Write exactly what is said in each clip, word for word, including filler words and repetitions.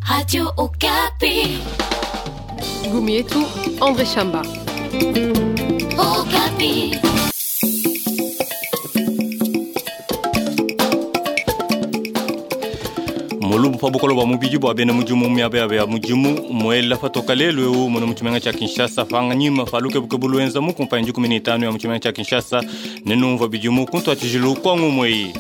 Radio Okapi. Gumietu, André Chamba. Okapi. Molubu pa bukolo bwa mubidi bwa bena mudimu miaba yabo ya mudimu muela patoka lelu eu muno mu tshimenga tshia Kinshasa panganyima palukebuke buluenza mu kumpanyi dikumi ne itanu ya mu tshimenga tshia Kinshasa ne numva bidimu kuntuatijilu kwa ngumue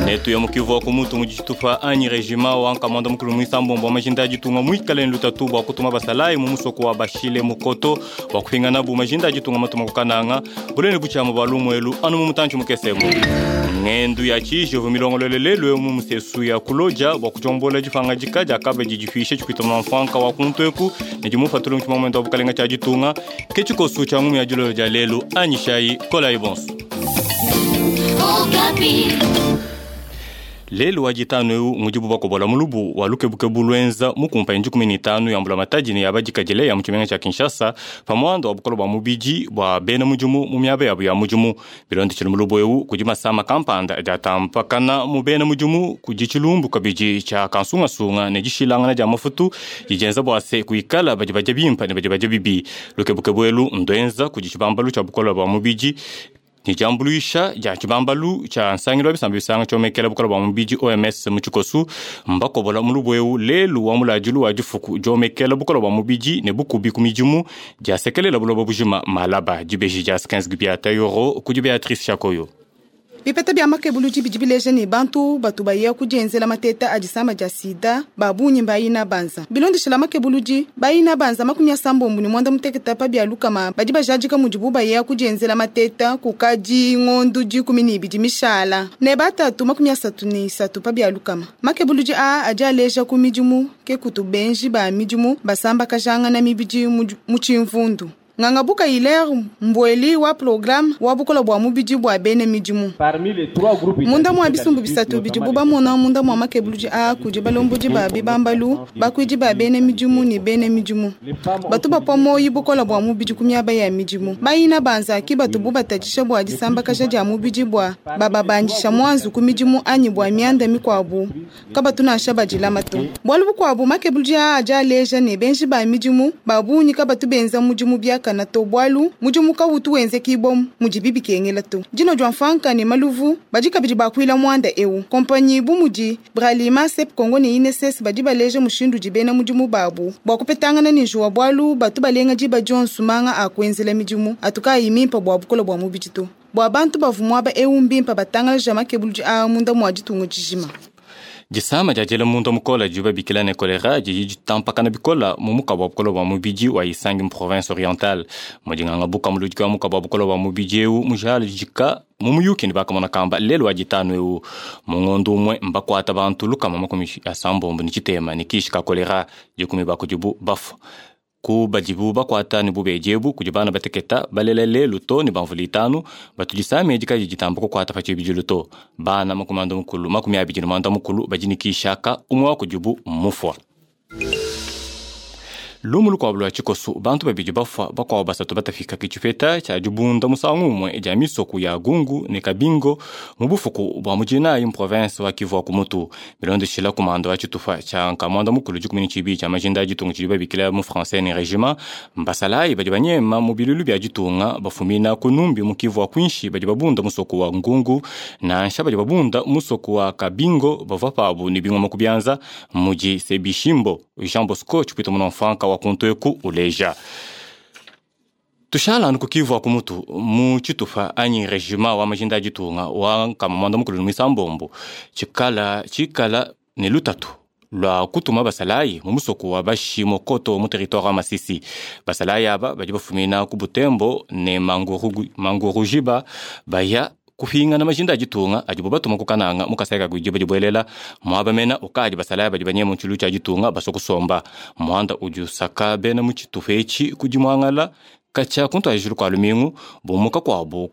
netu ya mukivu wa kumutu mu tshitupa anyi regima wa nkamanda mukulu muisambombo wa majinda ajitunga muikale lutatu bwa kutuma basalayi mu musoko wa bashile mukoto bwa kupingana bu majinda ajitunga matuma kukananga bulene butshiama bwa lumuelu anu mu mutantshi mukesemu ngendu ya tshijovu milongolole lelu mu musesu ya kuloja bwa kujombola difanga dika diakaba didifisha tshipita mfanka wa kuntu ne dimufatula mu tshimamwendo wa bukalenga tshia ditunga ke tshikosu tshia ngumu ya dilolo dia lelu anyi shayi kolayi bonso. Okapi. Lelu wa ditanu eu mudibu bakobola mulubu wa lukebukebu lwenza mu kumpanyi dikumi ne itanu ya mbulamatadi ne ya badikadile ya mu tshimenga tshia Kinshasa pamuanda wa bukolo bwa mubidi bwa bena mudimu mu miaba yabo ya mudimu. Bilondeshile mulubu eu kudi masama kampanda adi atampakana mu bena mudimu kudi tshilumbu kabidi tshia kansungasunga ne dishilangana dia mafutu didienza bua se kuikala badi badia bimpa ne badi badia bibi. Lukebukebu elu nduenza kudi tshibambalu tshia bukolo bwa mubidi ni diambuluisha dia tshibambalu tshia nsangilu wa bisambi bisanga tshiomekela bukolo bwa mubidi O M S mu tshikosu mbakobola mulubu eu lelu wa muladilu wa difuku diomekela bukolo bwa mubidi ne bukubi ku midimu diasekelela buloba bujima malaba dibeji dia quinze gubiata euro kudi Beatrice Chakoyo. Bipeta bya makebuluji bidi bileja ne bantu batu baya kudienzela mateta a disama dia sida babunyi bayina banza bilondeshela makebuluji bayina banza makumi asambombo ne mwanda muteketa pa bya lukama badi bajadika mudibu baya kudienzela mateta kukadi ngondu dikumi ne ibidi mishala ne batatu makumi asatu ne isatu pa bya lukama. Makebuluji aa adi aleja ku midimu ke kutu benji ba midimu basamba kajangana mibidi mu tshimvundu. Ngangabuka Hilaire Mbweli wa programme wa bukola bwa mubidi bwa bene midimu. Munda mwa bisumbu bisatu bidibu bamona munda mwa makebuluji a kudi balombodi ba bibambalu bakwidi ba bene midimu ne bene midimu. Batu bapwa moyi bukola bwa mubidi ku miaba ya midimu. Bayina banza ki batu bu batatshisha bua disambakaja dia mubidi bua bababandisha mwanzu ku midimu anyi bua mianda mikwabu kabatu nansha badilama to. Bualu bukwabu makebuluji a adi aleja ne benji ba midimu babunyi kabatu benza mudimu biaka na to bwalu mudimu kawutu wenze kibom mudi bikengela to. Dino jwa mfanka ne maluvu badi kabidi bakwila mwanda eu kompanyi bu mudi Bralima Sep Congo ne I N S S badi baleja mushindu dibena mudimu babu bwa kupetangana ne juwa bwalu batu balenga diba Johnson manga akwenzela midimu atuka yimimpa bwa bukola bwa mubidi to bwa bantu bavumwa ba eu mbimpa batangala jama kebuluji a munda mwa ditungo dijima. Disama dia diela munda mukola diba bikila ne kolera didi ditampakana bikola mu mukaba wa bukola bwa mubidi wa Isangi mu province orientale. Mudinganga buka muludiki wa mukaba wa bukola bwa mubidi eu mujala dika mu muyuki ne bakamona kamba lelu wa ditanu eu mu ngondu umwe mbakwata bantu lukama makumi asambombo ne tshitema ne kishi ka kolera dikumi bakudibu bafu. Ku badibu bakwata ne bubediebu kudi bana bateketa balela lelu to ne bamvula itanu batudisame dikadi ditamba kukwata pa tshibidilu to. Bana makumi anda mukulu makumi abidi ne mwanda mukulu badi ne kishaka umwe wa kudibu mufwa. Lumu lukuabu lua tshikosu bantu babidi bafwa bakuabu basatu batafika ke tshipeta tshia dibunda musangu umue dia misoku ya Gungu ne Kabingo mu bufuku bua mudinayi mu province wa Kivu wa Kumutu. Bilondeshila kumanda wa tshitupa tshia nkamanda mukulu dikumi ne tshibidi tshia majinda a ditunga tshidi babikila mu français ne regiment mbasalayi badi banyema mu bilulu bia ditunga bafumina ku Numbi mu Kivu wa Kwinshi badi babunda musoku wa Ngungu nansha badi babunda musoku wa Kabingo bavua pabu ne bingoma ku bianza mudi Sebishimbo Jean Bosco tshipita mu mfanka wa kuntu uleja. Tushala anu ku Kivu wa Kumutu mu tshitupa anyi regiment wa majinda a ditunga wa nkamamanda mukulu misambombo tshikala tshikala ne lutatu lwa kutuma basalayi mu musoko wa Bashimokoto mu territoire wa Masisi. Basalayi aba badi bafumina ku Butembo ne Mangurujiba baya kupingana majinda a ditunga adibo batuma kukananga mukaseka kujiba dibwelela mwaba mena ukadi basalaya badi banyema mu tshia ditunga basokusomba mwanda udi usaka bena mu tshitupa etshi kudi muangala katshia kuntu ajilu kwa lumingu bumuka kwabo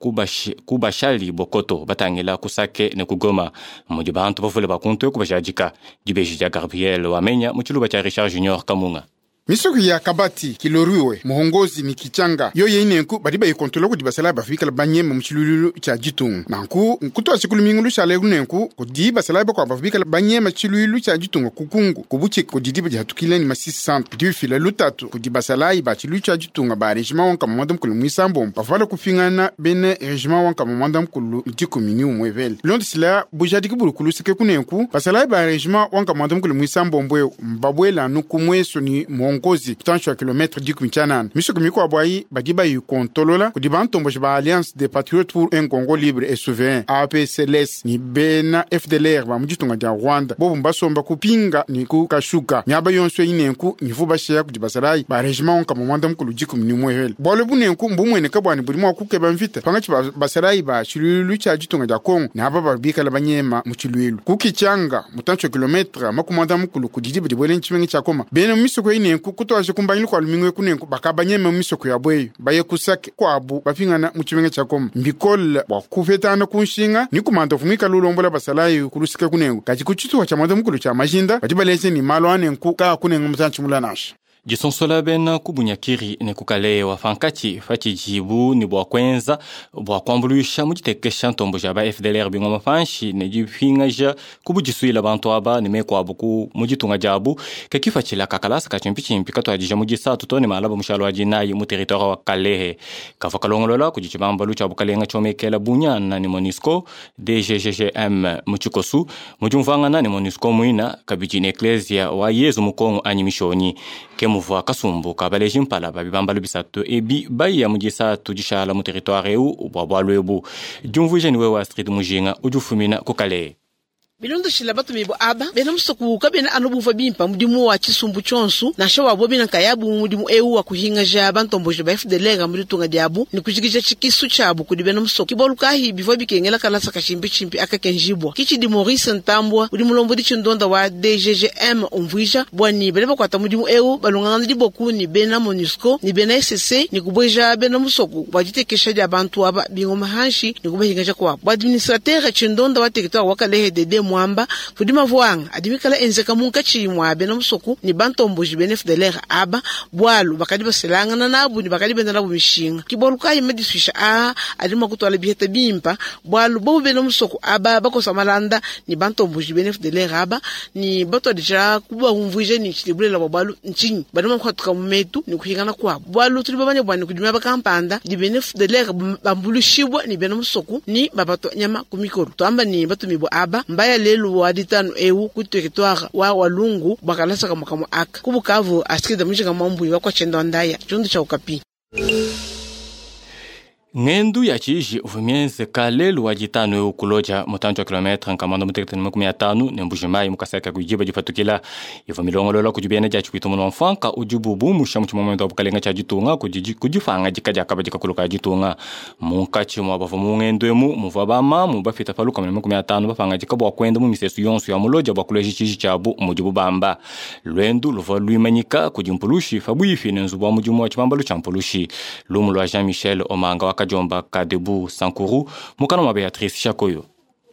kubashali bokoto batangila kusake ne kugoma mudi bantu bavule bakuntu kubashadika dibeji dia Gabriel wamenya mu tshiluba tshia Richard Junior Kamunga. Misoko ya Kabati, Kiloriwe, Muhongozi ni Kichanga yoyo inenku badi bayikontrola kudi basalayi bafikala banyema mu tshilululu tshia ditunga. Nanku nkutua tshikulu mingulu tshia kunenku kudi basalayi bakuabu bafikala banyema tshilululu tshia ditunga kukungu kubuchika kudi diba dihatukile ni Masisi centre bidi bifila lutatu kudi basalayi ba tshilululu tshia ditunga ba regiment wa nkama mwanda mukulu mwisambombo bavala kufingana bene regiment wa nkama mwanda mukulu dikumi ni umwe vele londisila bujadiki buli kuluseke kunenku basalayi ba regiment wa nkama mwanda mukulu mwisambombo ewu mbabwelanu kumweso ni muhongozi kutanshi wa kilometre dikumi tshianana. Misoko mikuabu ayi badi bayikontolola kudi bantomboji ba Alliance des Patriotes pour un Congo libre et souverain A P C L S ni bena F D L R ba mu ditunga dia Rwanda bobu mbasomba kupinga ni kukashuka miaba yonso inenku nivu basheya kudi basalayi ba regiment wa nkama mwanda mukulu dikumi ni umwe vele. Bualu bunenku mbumueneka bwani budi mua kukeba mvita pangatshi basalayi ba tshilululu tshia ditunga dia Kongo ne aba babikala banyema mu tshilululu kukichanga mutantshi wa kilometre makumi mwanda mukulu kudi diba dibuele ntshimenga tshia Goma. Bena mu misoko inenku kutwaje kumbanyilu kwa lumingu kunenku bakabanyema mu misoko ya bweyo baye kusake kwabu bafingana mu tshimenga tshia Goma. Mbikola bua kupetana kunshinga ni kumanda vumika lulombola basalayi kulusika kunenku kati ku tshituha tshia mwanda mukulu tshia majinda badi baleze ni malo anenku ka kunenga mutantshi mulanasha. Disonsola bena kubunyakiri ne kukalewa fankatshi fatshijibu ni bua kuenza bua kuambuluisha mu ditekesha ntombo ja ba F D L R bingoma panshi ne dipingaja kubudisuila bantu aba ne meku abu ku mu ditunga diabu ke kifatshila kakalasa ka tshimpitshimpi katuadija mu disatu to ne malaba mushalo wa dinayi mu territoire wa Kalehe kavua kalongolola kudi tshibambalu tshia bukalenga tshiomekela bunyana ne MONUSCO D G G G M mu tshikosu mu diumvuangana ne MONUSCO muina kabidi ne Ecclesia wa Yezu mu Kongo anyi mishonyi ke muvua kasumbu kabaleji mpala ba bibambalu bisatu ebi baya mu disatu dishala mu territoire eu bua bualu ebu. Diumvuija ni wewe Astrid Mujinga udi ufumina ku Kalehe. Bilondoshila batumibu aba bena musoku kabena anu bumva bimpa mudimu wa tshisumbu tshionso nansha wabo bena nkayabu mudimu eu wa kuhingaja bantomboji ba F D L R mu ditunga diabu ni kujikija tshikisu tshiabu kudi bena musoku. Kibualu kahi bivua bikengela kalasa kashimpitshimpi akakenjibwa kitshidi Maurice Ntambwa udi mulombodi tshindonda wa D G G M umvuija bwani bene bakuata mudimu eu balongangana diboku ni bena MONUSCO ni bena S C ni kubweja bena musoku bua ditekesha dia bantu aba bingoma hanshi ni kubahingaja kwabu. Bua administrateur tshindonda wa territoire wa Kalehe D D Mwamba kudi mavuanga adimikala enzeka munkatshi mwa bena musoku ni bantomboji bena F D L R aba bwalu bakadi baselangana nabu ni bakadi benda nabu mishinga. Kibualu kayi madiswisha a adima kutwala biheta bimpa bwalu bobu bena musoku aba bakosa malanda ni bantomboji bena F D L R aba ni batwadija kuba umvuje ni tshidibulela bwa bwalu nchinyi badima kuhatuka mu metu ni kuhingana kwabu bwalu tuli babanya bwani kudima bakampanda di bena F D L R bambulushibwa ni bena musoku ni babato nyama kumikolo twamba ni batumibwa aba mbaya lelu wa ditano eu ku territoire wa Walungu bakalasa kama kama aka kubukavu Astrid Mujinga Mwambu wa kwa chendo ndaya chundu cha Okapi. Ngendu ya tshiji uvumyenzeka lelu wa ditano eu kuloja mutantshi wa kilometre nkamanda mutekete ne makumi atanu ne Mbuji-Mayi mukasaka kujiba difatukila ivo milongolola kudi bena dia tshikuitu muno mfanka udibu bumusha mu tshimomento wa bukalenga tshia ditunga kudi kudifanga dika diakaba dikakuluka ya ditunga munkatshi mwa bavua mu ngendu emu muvua bamamu bafita pa lukama ne makumi atanu bapanga dika bua kuenda mu misesu yonso ya muloja bua kuleja tshiji tshiabu mudibu bamba lwendu luvua luimanyika kudi mpulushi fabuifi ne nzubu wa mudimu wa tshibambalu tshia mpulushi lumu lua Jean-Michel Omanga wa Kajomba Kadebu Sankuru mukana mwa Beatrice Shakoyo.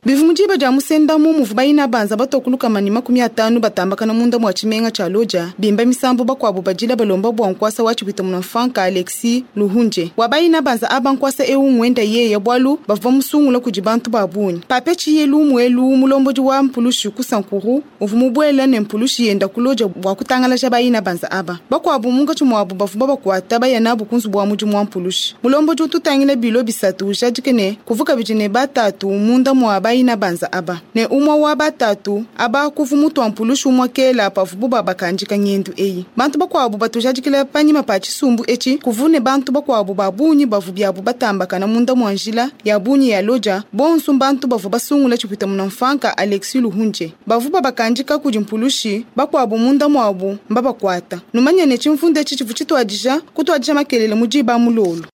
Bivu mudiba dia musendamu muvu bayina banza batokuluka ni makumi atanu batambakana munda mwa tshimenga tshia Loja bimba misambu bakuabu badila balomba bua nkuasa wa tshipita muna mfanka Alexis Luhunje wa bayina banza aba nkuasa eu ngwenda yeya bwalu bavua musungula kudi bantu ba bungi pape tshiye lumu elu mulombodi wa mpulushi ku Sankuru uvu mubuela ne mpulushi yenda ku Loja bua kutangalaja bayina banza aba bakuabu munkatshi muabu bavua bakuata baya nabu ku nzubu wa mudimu wa mpulushi mulombodi ututangila bilo bisatu ujadike ne kuvuka bidi ne batatu munda mua ina banza aba ne umwa wa batatu aba kuvu mutu wa mpulushi umwa kela pavubu babakandika ngendu eyi bantu bakuabu batujadikila panyima pa tshisumbu etshi kuvune bantu bakuabu ba bungi bavu biabu batambakana munda mua njila ya bungi ya Loja bonso bantu bavu basungula tshipita muna mfanka Alexis Luhunje bavu babakandika kudi mpulushi bakuabu munda muabu mbabakuata numanya ne tshimvundu etshi tshivu tshituadija kutuadija makelele mudiba mulolo.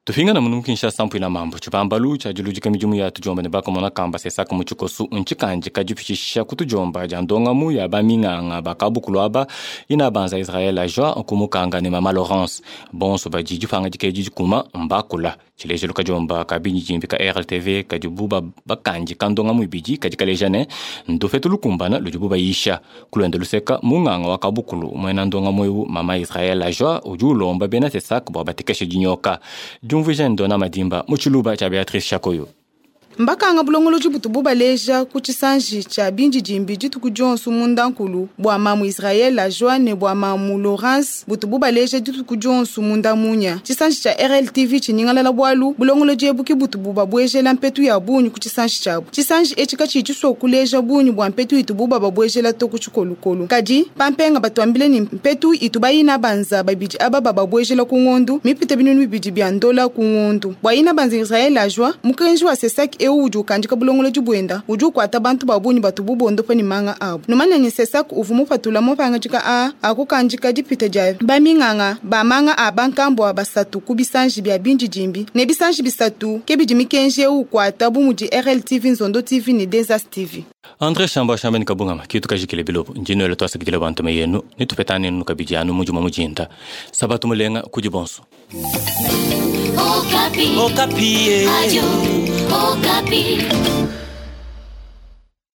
Tupingana munu Kinshasa mpuina mambo chipambalu cha julujika mijumu ya tujomba ne bakamona kamba sesaka mu tshikosu ntshikandi kadipitshisha kutujomba dia ndongamu ya baminganga bakabukulu aba ina banza Israel ajwa nkumukanga ne mama Laurence bonso badi dipanga dikedi dikuma mbakula tshilejelu kajomba kabinyi jimbi ka R L T V kadibu bakandi kandongamu ibidi kadi kaleja ne ndufetu lukumbana ludibu bayisha kulwenda luseka munganga wa kabukulu mwena ndongamu ewu mama Israel ajwa udi ulomba bena sesaka bua batekeshe dinyoka. Jumvuija ndona madimba mutshiluba tshia Beatrice Shakoyo. Mbakanga bulongoloji butu bubaleja ku tshisanji tshia bindi dimbi dituku dionso munda nkulu bua mamu Israel ajwa ne bua mamu Laurence butu bubaleja dituku dionso munda munya. Tshisanji tshia R L T V tshiningalala bwalu bulongoloji ebuki butu bubabwejela mpetu ya bunyu ku tshisanji tshiabu. Tshisanji etshi katshi tshisua kuleja bunyu bua mpetu itu bubababwejela to ku tshikolokolo. Kadi pampenga batuambile ni mpetu itu bayina banza babidi aba bababwejela ku ngondu mipite binunu bibidi bia ndola ku ngondu. Bua ina banza Israel ajwa mukenji wa Sesak eu udi ukandika bulongoloji bwenda udi ukwata bantu babunyi batu bubondo pa ni manga abu. Numanya ni Sesak uvu mupatula mupangajika a akukandika dipita dia baminganga bamanga a bankambo a basatu ku bisanji bia bindi dimbi ne bisanji bisatu ke bidi mikenji eu ukwata bu mudi R L T V, Nzondo T V ne Desas T V. André Shamba shamba ni kabungama kitu kajikile bilobo njino ele twasakidile bantu meyenu nitupetane nunu kabidi anu mujuma mujinda sabatu mulenga kudi bonso. Okapi. Okapi. Radio Okapi.